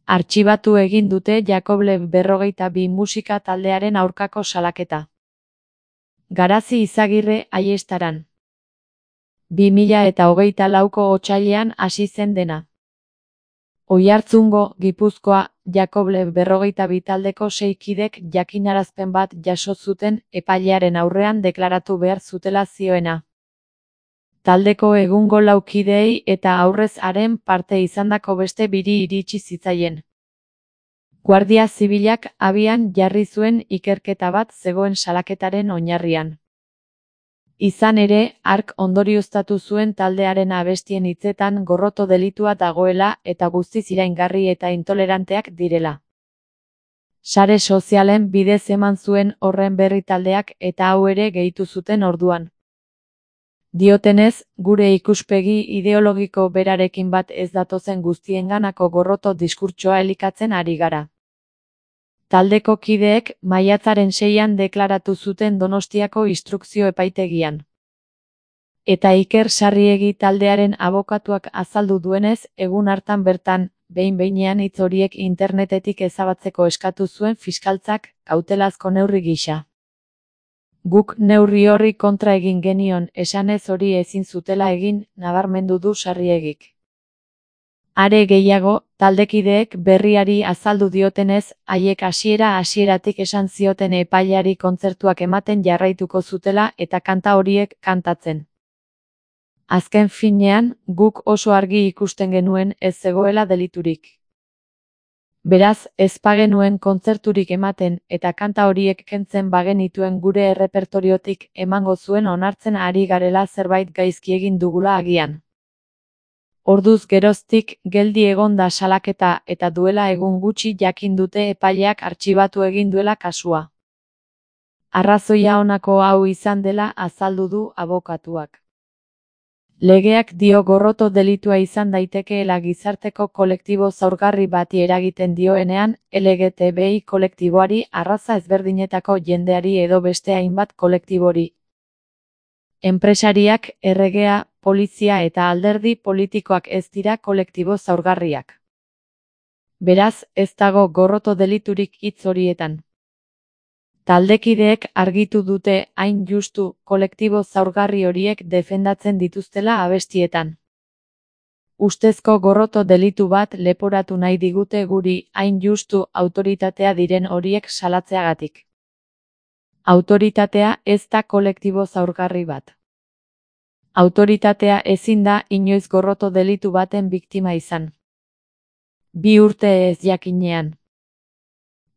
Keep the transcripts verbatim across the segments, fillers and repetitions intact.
Artxibatu egin dute Jakoble berrogeita bi musika taldearen aurkako salaketa. Garazi Izagirre Aiestaran. bi mila eta hogeita lauko otsailean hasi zen dena. Oiartzungo, Gipuzkoa, Jakoble berrogeita bi taldeko sei kidek jakinarazpen bat jaso zuten epailearen aurrean deklaratu behar zutela zioena. Taldeko egungo lau kideei eta aurrez haren parte izandako beste biri iritsi zitzaien. Guardia Zibilak abian jarri zuen ikerketa bat zegoen salaketaren oinarrian. Izan ere, hark ondorioztatu zuen taldearen abestien hitzetan gorroto delitua dagoela eta guztiz iraingarri eta intoleranteak direla. Sare sozialen bidez eman zuen horren berri taldeak eta hau ere gehitu zuten orduan. Diotenez, gure ikuspegi ideologiko berarekin bat ez datozen guztienganako gorroto diskurtsoa elikatzen ari gara. Taldeko kideek maiatzaren seian deklaratu zuten Donostiako instrukzio epaitegian. Eta Iker Sarriegi taldearen abokatuak azaldu duenez, egun hartan bertan, behin-behinean hitz horiek internetetik ezabatzeko eskatu zuen fiskaltzak, kautelazko neurri gisa. Guk neurri horri kontra egin genion, esanez hori ezin zutela egin, nabarmendu du Sarriegik. Are gehiago, taldekideek berriari azaldu diotenez, haiek hasiera hasieratik esan zioten epaileari kontzertuak ematen jarraituko zutela eta kanta horiek kantatzen. Azken finean, guk oso argi ikusten genuen ez zegoela deliturik. Beraz, ez bagenuen kontzerturik ematen eta kanta horiek kentzen bagenituen gure errepertoriotik emango zuen onartzen ari garela zerbait gaizki egin dugula agian. Orduz geroztik geldi egon da salaketa eta duela egun gutxi jakin dute epaileak artxibatu egin duela kasua. Arrazoia honako hau izan dela azaldu du abokatuak. Legeak dio gorroto delitua izan daitekeela gizarteko kolektibo zaurgarri bati eragiten dioenean, L G T B I kolektiboari, arraza ezberdinetako jendeari edo beste hainbat kolektibori. Enpresariak, erregea, polizia eta alderdi politikoak ez dira kolektibo zaurgarriak. Beraz, ez dago gorroto deliturik hitz horietan. Taldekideek argitu dute hain justu kolektibo zaurgarri horiek defendatzen dituztela abestietan. Ustezko gorroto delitu bat leporatu nahi digute guri hain justu autoritatea diren horiek salatzeagatik. Autoritatea ez da kolektibo zaurgarri bat. Autoritatea ezin da inoiz gorroto delitu baten biktima izan. Bi urte ez jakinean.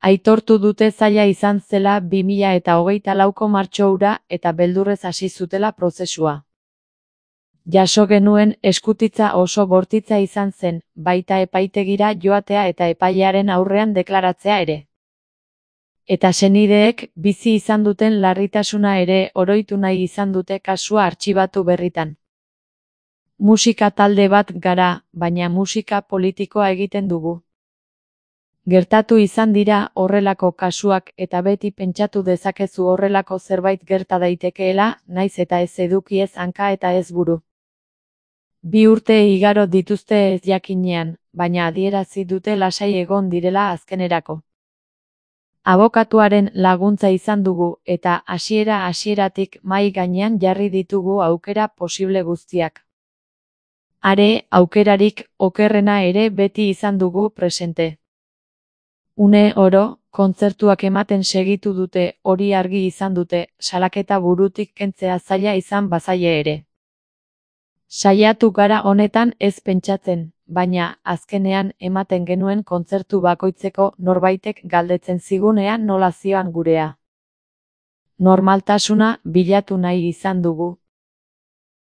Aitortu dute zaila izan zela bi mila eta hogeita lauko martxo hura eta beldurrez hasi zutela prozesua. Jaso genuen eskutitza oso bortitza izan zen, baita epaitegira joatea eta epailearen aurrean deklaratzea ere. Eta senideek bizi izan duten larritasuna ere oroitu nahi izan dute kasua artxibatu berritan. Musika talde bat gara, baina musika politikoa egiten dugu. Gertatu izan dira horrelako kasuak eta beti pentsatu dezakezu horrelako zerbait gerta daitekeela, naiz eta ez eduki ez hanka eta ez buru. Bi urte igaro dituzte ez jakinean, baina adierazi dute lasai egon direla azkenerako. Abokatuaren laguntza izan dugu eta hasiera hasieratik mahai gainean jarri ditugu aukera posible guztiak. Are, aukerarik okerrena ere beti izan dugu presente. Une oro, kontzertuak ematen segitu dute, hori argi izan dute, salaketa burutik kentzea zaila izan bazaie ere. Saiatu gara honetan ez pentsatzen, baina azkenean ematen genuen kontzertu bakoitzeko norbaitek galdetzen zigunean nola zioan gurea. Normaltasuna bilatu nahi izan dugu,